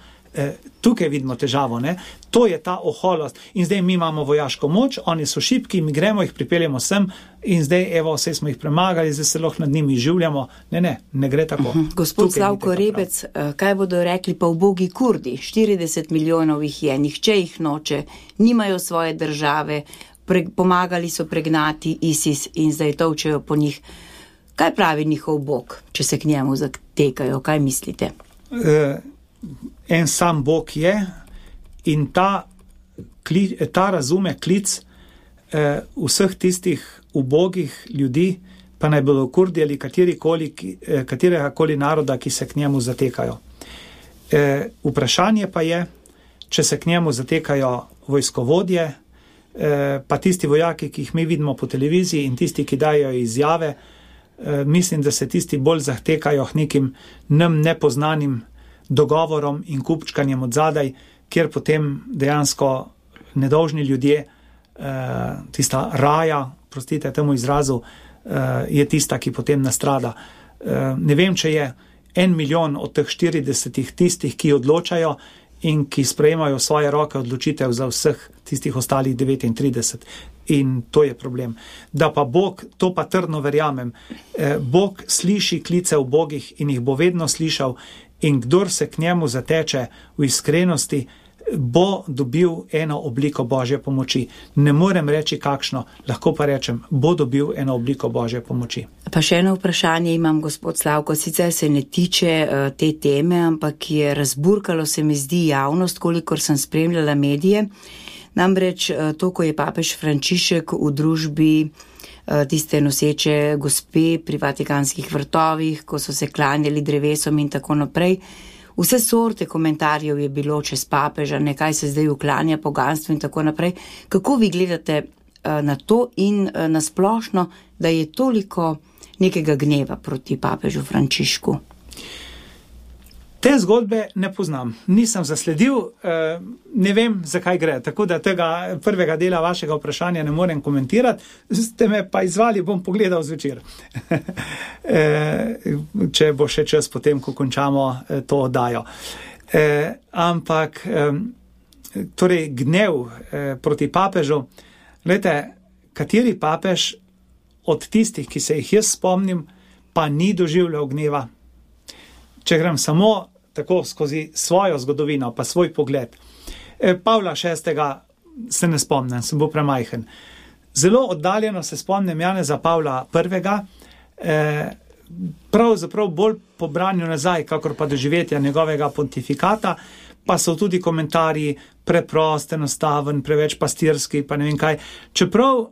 Tukaj vidimo težavo, ne? To je ta oholost in zdaj mi imamo vojaško moč, oni so šibki, mi gremo, jih pripeljemo sem in zdaj evo, vse smo jih premagali, zdaj se lahko nad njimi življamo. Ne gre tako. Gospod Slavko Rebec, kaj bodo rekli pa ubogi Kurdi? 40 milijonov jih je, nihče jih noče, nimajo svoje države, pomagali so pregnati ISIS in zdaj tolčejo po njih. Kaj pravi njihov Bog, če se k njemu zatekajo? Kaj mislite? En sam Bog je in ta razume klic vseh tistih ubogih ljudi, pa naj bodo Kurdi ali katerega koli naroda, ki se k njemu zatekajo. Vprašanje pa je, če se k njemu zatekajo vojskovodje, pa tisti vojaki, ki jih mi vidimo po televiziji in tisti, ki dajo izjave, mislim, da se tisti bolj zahtekajo k nekim nam nepoznanim dogovorom in kupčkanjem od zadaj, kjer potem dejansko nedolžni ljudje, tista raja, prostite temu izrazu, je tista, ki potem nastrada. Ne vem, če je 1 milijon od teh 40 tistih, ki odločajo in ki sprejemajo svoje roke odločitev za vseh tistih ostalih 39. In to je problem. Da pa Bog, to pa trdno verjamem, Bog sliši klice ubogih in jih bo vedno slišal in kdor se k njemu zateče v iskrenosti, bo dobil eno obliko Božje pomoči. Ne morem reči kakšno, lahko pa rečem, bo dobil eno obliko Božje pomoči. Pa še eno vprašanje imam, gospod Slavko, sicer se ne tiče te teme, ampak je razburkalo se mi zdi javnost, kolikor sem spremljala medije. Namreč to, ko je papež Frančišek v družbi tiste noseče gospe pri Vatikanskih vrtovih, ko so se klanjali drevesom in tako naprej, vse sorte komentarjev je bilo čez papeža, nekaj se zdaj uklanja poganstvu in tako naprej. Kako vi gledate na to in na splošno, da je toliko nekega gneva proti papežu Frančišku? Te zgodbe ne poznam, nisem zasledil, ne vem, zakaj gre, tako da tega prvega dela vašega vprašanja ne morem komentirati, ste me pa izvali, bom pogledal zvečer, če bo še čas potem, ko končamo to oddajo. Ampak, torej gnev proti papežu, glejte, kateri papež od tistih, ki se jih jaz spomnim, pa ni doživljal gneva. Če grem samo tako skozi svojo zgodovino, pa svoj pogled. Pavla VI. Se ne spomnim, sem bil premajhen. Zelo oddaljeno se spomnim Janeza Pavla I. Pravzaprav bolj po branju nazaj, kakor pa doživetja njegovega pontifikata, pa so tudi komentarji preprost, enostaven, preveč pastirski, pa ne vem kaj. Čeprav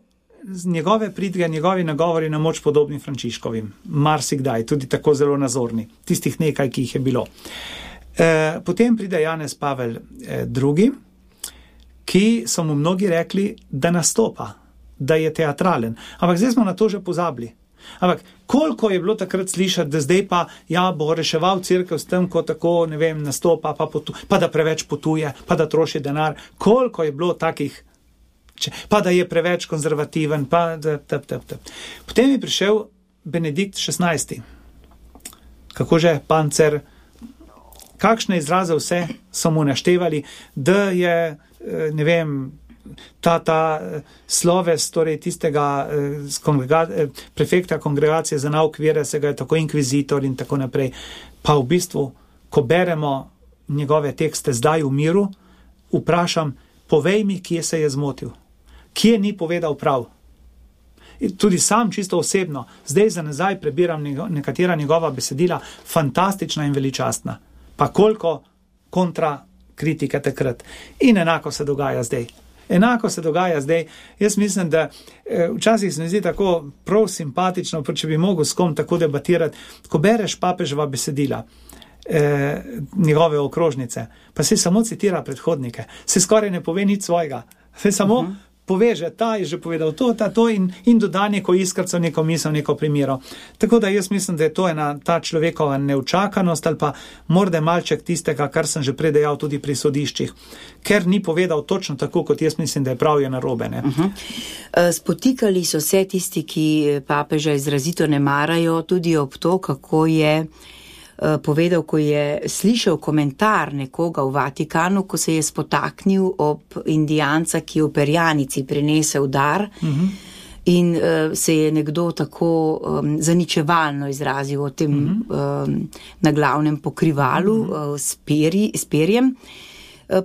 z njegove pridige, njegovi nagovori na moč podobni Frančiškovim. Marsikdaj, tudi tako zelo nazorni. Tistih nekaj, ki jih je bilo. Potem pride Janez Pavel II., ki so mu mnogi rekli, da nastopa, da je teatralen. Ampak zdaj smo na to že pozabili. Ampak koliko je bilo takrat slišati, da zdaj pa bo reševal cerkev s tem, ko tako, ne vem, nastopa, pa da preveč potuje, pa da troši denar. Koliko je bilo takih, pa da je preveč konzervativen, pa da. Potem je prišel Benedikt XVI. Kako že, pancer, kakšne izraze vse so mu naštevali, da je, ne vem, ta sloves, torej tistega prefekta kongregacije za nauk vere, se ga je tako inkvizitor in tako naprej. Pa v bistvu, ko beremo njegove tekste zdaj v miru, vprašam, povej mi, kje se je zmotil. Kje ni povedal prav? Tudi sam čisto osebno, zdaj za nazaj prebiram nekatera njegova besedila, fantastična in veličastna. Pa koliko kontra kritike takrat. In enako se dogaja zdaj. Jaz mislim, da včasih se mi zdi tako prav simpatično, če bi mogel s kom tako debatirati, ko bereš papeževa besedila, njegove okrožnice, pa se samo citira predhodnike, se skoraj ne pove nič svojega, se samo poveže, ta je že povedal to in doda neko iskrco, neko misel, neko primero. Tako da jaz mislim, da je to ena ta človekova neučakanost ali pa morda malček tistega, kar sem že predejal tudi pri sodiščih, ker ni povedal točno tako, kot jaz mislim, da je prav je narobe. Spotikali so se tisti, ki papeža izrazito ne marajo, tudi ob to, kako je povedal, ko je slišal komentar nekoga v Vatikanu, ko se je spotaknil ob Indijanca, ki je v perjanici prinesel dar in se je nekdo tako zaničevalno izrazil o tem naglavnem pokrivalu s perjem.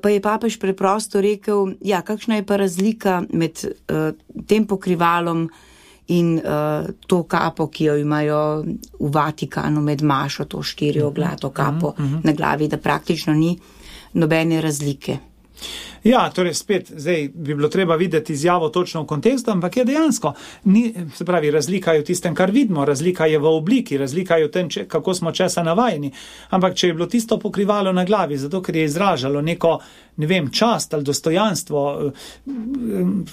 Pa je papež preprosto rekel, ja, kakšna je pa razlika med tem pokrivalom in to kapo, ki jo imajo v Vatikanu med mašo, to 4-oglato kapo na glavi, da praktično ni nobene razlike. Ja, torej spet, zdaj bi bilo treba videti izjavo točno v kontekstu, ampak je dejansko, se pravi, razlika je v tistem, kar vidimo, razlika je v obliki, razlika je v tem, kako smo česa navajeni, ampak če je bilo tisto pokrivalo na glavi, zato ker je izražalo neko, ne vem, čast ali dostojanstvo,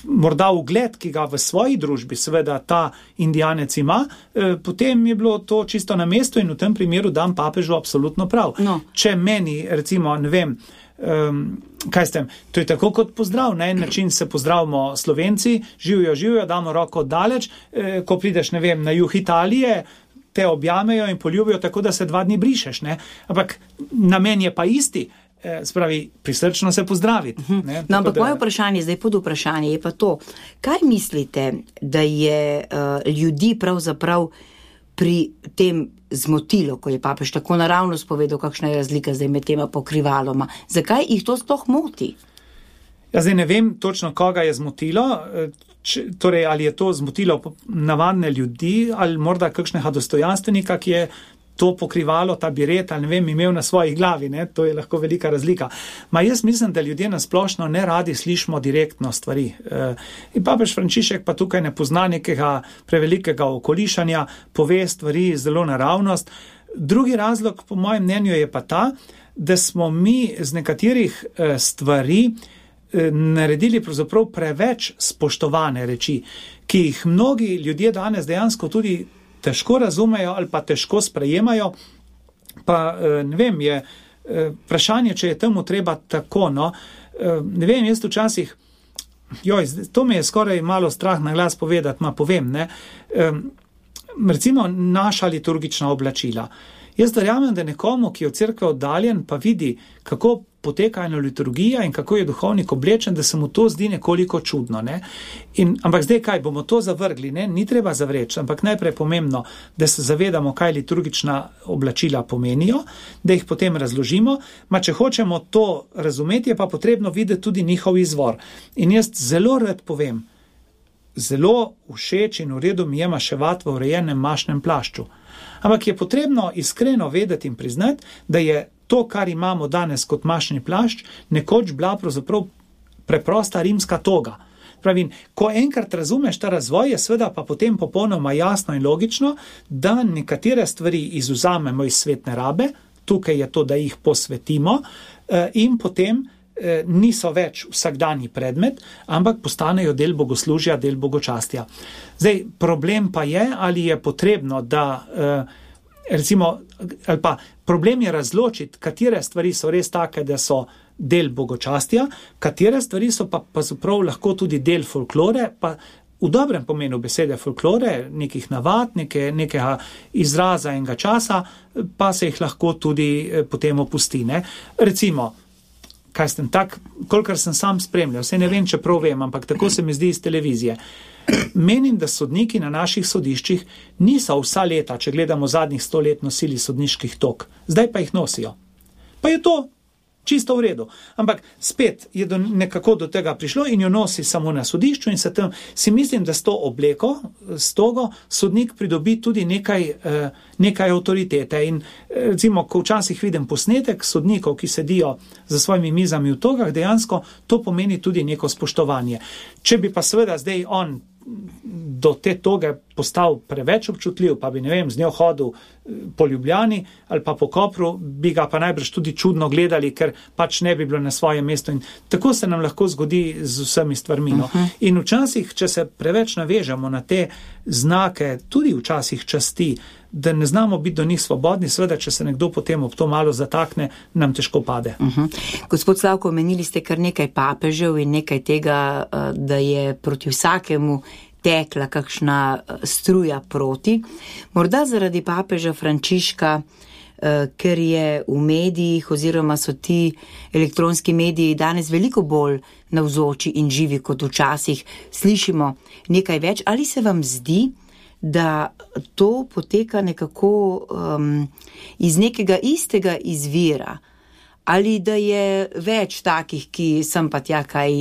morda ugled, ki ga v svoji družbi seveda ta indijanec ima, potem je bilo to čisto na mestu in v tem primeru dam papežu absolutno prav. No. Če meni, recimo, ne vem, kaj s tem? To je tako kot pozdrav. Na en način se pozdravimo Slovenci, živijo, damo roko daleč, ko prideš, ne vem, na jug Italije, te objamejo in poljubijo tako, da se 2 dni brišeš, ne? Ampak namen je pa isti, spravi, prisrčno se pozdraviti. Ne? No, ampak moje vprašanje, zdaj pod vprašanje je pa to, kaj mislite, da je ljudi pravzaprav pri tem zmotilo, ko je papež tako naravno spovedal, kakšna je razlika zdaj med tema pokrivaloma. Zakaj jih to sploh moti? Ja, zdaj ne vem točno, koga je zmotilo, torej ali je to zmotilo navadne ljudi, ali morda kakšnega dostojanstvenika, ki je to pokrivalo, ta biret, ali ne vem, imel na svoji glavi, ne? To je lahko velika razlika. Jaz mislim, da ljudje nasplošno ne radi slišimo direktno stvari. In papež Frančišek pa tukaj ne pozna nekega prevelikega okolišanja, pove stvari zelo naravnost. Drugi razlog, po mojem mnenju, je pa ta, da smo mi z nekaterih stvari naredili pravzaprav preveč spoštovane reči, ki jih mnogi ljudje danes dejansko tudi težko razumejo ali pa težko sprejemajo, pa ne vem, je vprašanje, če je temu treba tako, no, ne vem, jaz včasih, to me je skoraj malo strah na glas povedati, povem, ne, recimo naša liturgična oblačila. Jaz verjamem, da nekomu, ki je od cerkve oddaljen, pa vidi, kako poteka ena liturgija in kako je duhovnik oblečen, da se mu to zdi nekoliko čudno. Ne? Ampak zdaj kaj, bomo to zavrgli? Ne? Ni treba zavreči, ampak najprej pomembno, da se zavedamo, kaj liturgična oblačila pomenijo, da jih potem razložimo, če hočemo to razumeti, je pa potrebno videti tudi njihov izvor. In jaz zelo rad povem, zelo všeč in v redu mi je maševati v urejenem mašnem plašču. Ampak je potrebno iskreno vedeti in priznati, da je to, kar imamo danes kot mašni plašč, nekoč bila pravzaprav preprosta rimska toga. Pravim, ko enkrat razumeš ta razvoj, je seveda pa potem popolnoma jasno in logično, da nekatere stvari izvzamemo iz svetne rabe, tukaj je to, da jih posvetimo in potem niso več vsakdanji predmet, ampak postanejo del bogoslužja, del bogočastja. Zdaj, problem pa je, ali je potrebno, da recimo, ali pa problem je razločiti, katere stvari so res take, da so del bogočastja, katere stvari so pa zaprav lahko tudi del folklore, pa v dobrem pomenu besede folklore, nekih navad, nekega izraza enega časa, pa se jih lahko tudi potem opusti. Ne? Recimo, kolikor sem sam spremljal, ne vem, če prav vem, ampak tako se mi zdi iz televizije. Menim, da sodniki na naših sodiščih niso vsa leta, če gledamo zadnjih 100 let, nosili sodniških tok. Zdaj pa jih nosijo. Pa je to čisto v redu. Ampak spet je nekako do tega prišlo in jo nosi samo na sodišču in si mislim, da s to obleko, s togo, sodnik pridobi tudi nekaj avtoritete. In recimo, ko včasih vidim posnetek sodnikov, ki sedijo za svojimi mizami v togah, dejansko to pomeni tudi neko spoštovanje. Če bi pa seveda zdaj on do te toge postal preveč občutljiv, pa bi, ne vem, z njo hodil po Ljubljani ali pa po Kopru, bi ga pa najbrž tudi čudno gledali, ker pač ne bi bilo na svojem mestu. In tako se nam lahko zgodi z vsemi stvarmi. No. In včasih, če se preveč navežemo na te znake, tudi včasih časti, da ne znamo biti do njih svobodni, seveda, če se nekdo potem ob to malo zatakne, nam težko pade. Gospod Slavko, omenili ste kar nekaj papežev in nekaj tega, da je proti vsakemu tekla kakšna struja proti. Morda zaradi papeža Frančiška, ker je v medijih oziroma so ti elektronski mediji danes veliko bolj navzoči in živi kot včasih, slišimo nekaj več. Ali se vam zdi, da to poteka nekako iz nekega istega izvira? ali da je več takih, ki sem pa tja kaj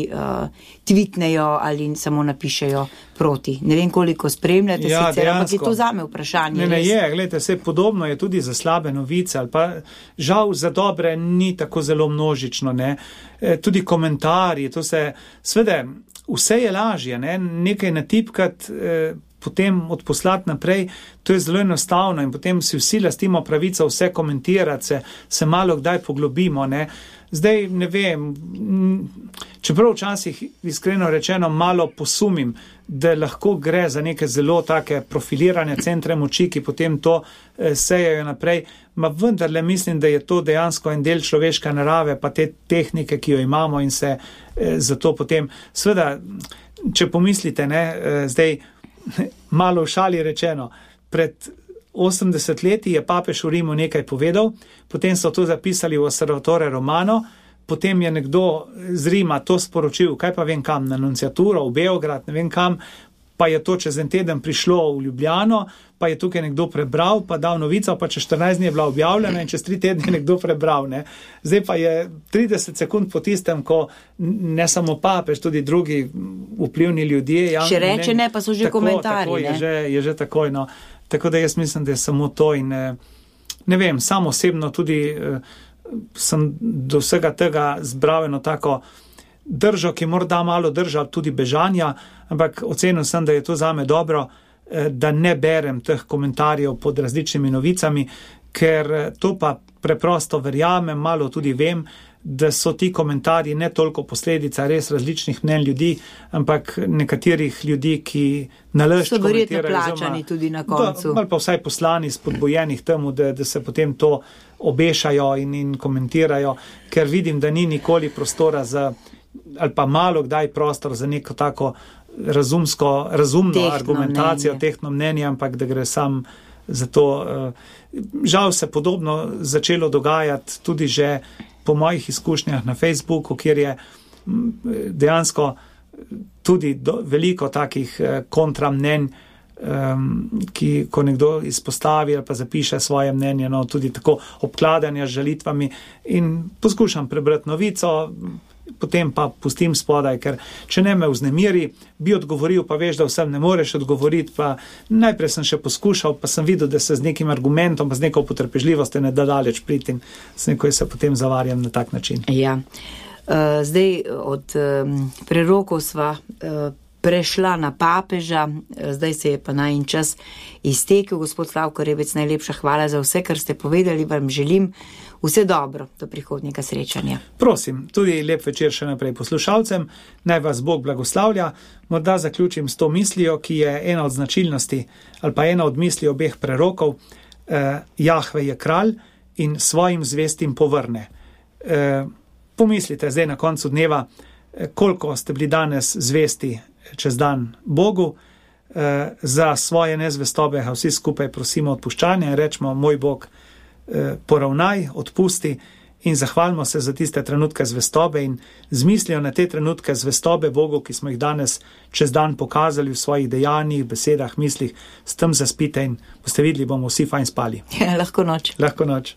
tweetnejo ali samo napišejo proti. Ne vem, koliko spremljate sicer, ampak je to zame vprašanje. Ne je, gledajte, vse podobno je tudi za slabe novice, ali pa žal za dobre ni tako zelo množično, ne. Tudi komentarji, to se, sveda, vse je lažje, ne, nekaj natipkati, potem odposlati naprej, to je zelo enostavno in potem si vsi lastimo pravico vse komentirati, se malo kdaj poglobimo, ne. Zdaj, ne vem, čeprav včasih iskreno rečeno malo posumim, da lahko gre za neke zelo take profilirane centre moči, ki potem to sejajo naprej, ma vendarle mislim, da je to dejansko en del človeške narave, pa te tehnike, ki jo imamo in se zato potem, seveda, če pomislite, ne, zdaj, malo v šali rečeno, pred 80 leti je papež v Rimu nekaj povedal, potem so to zapisali v Osservatore Romano, potem je nekdo z Rima to sporočil, kaj pa vem kam, na nunciaturo, v Beograd, ne vem kam, pa je to čez en teden prišlo v Ljubljano, pa je tukaj nekdo prebral, pa dal novico, pa čez 14 dni je bila objavljena in čez 3 tedne je nekdo prebral, ne. Zdaj pa je 30 sekund po tistem, ko ne samo papež, tudi drugi vplivni ljudje. Še reče ne, pa so že komentarji, ne. Tako je že takoj, no. Tako da jaz mislim, da je samo to in ne vem, sam osebno tudi sem do vsega tega zbral eno tako držo, ki morda malo drža tudi bežanja, ampak ocenil sem, da je to zame dobro, da ne berem teh komentarjev pod različnimi novicami, ker to pa preprosto verjamem, malo tudi vem, da so ti komentarji ne toliko posledica res različnih mnenj ljudi, ampak nekaterih ljudi, ki nalašč komentirajo. So verjetno plačani tudi na koncu. Ali pa vsaj poslani spodbojenih temu, da se potem to obešajo in komentirajo, ker vidim, da ni nikoli prostora za, ali pa malo kdaj prostor za neko tako razumno tehno argumentacijo, mnenje. Tehno mnenje, ampak da gre sam za to. Žal se podobno začelo dogajati tudi že po mojih izkušnjah na Facebooku, kjer je dejansko tudi veliko takih kontramnenj, ki ko nekdo izpostavi ali pa zapiše svoje mnenje, no, tudi tako obkladanja z žalitvami in poskušam prebrati novico, potem pa pustim spodaj, ker če ne me vznemiri, bi odgovoril, pa veš, da vsem ne moreš odgovoriti, pa najprej sem še poskušal, pa sem videl, da se z nekim argumentom, pa z neko potrpežljivosti ne da daleč priti in s nekoj se potem zavarjam na tak način. Ja, zdaj od prerokov sva prešla na papeža, zdaj se je pa najin čas iztekel. Gospod Slavko Rebec, najlepša hvala za vse, kar ste povedali, vam želim vse dobro do prihodnjega srečanja. Prosim, tudi lep večer še naprej poslušalcem, naj vas Bog blagoslavlja. Morda zaključim s to mislijo, ki je ena od značilnosti ali pa ena od misli obeh prerokov. Jahve je kralj in svojim zvestim povrne. Pomislite zdaj na koncu dneva, koliko ste bili danes zvesti čez dan Bogu. Za svoje nezvestobe vsi skupaj prosimo odpuščanja in rečemo, moj Bog, poravnaj, odpusti in zahvalimo se za tiste trenutke zvestobe in z mislijo na te trenutke zvestobe Bogu, ki smo jih danes čez dan pokazali v svojih dejanjih, besedah, mislih, s tem zaspite in boste videli, bomo vsi fajn spali. Lahko noč. Lahko noč.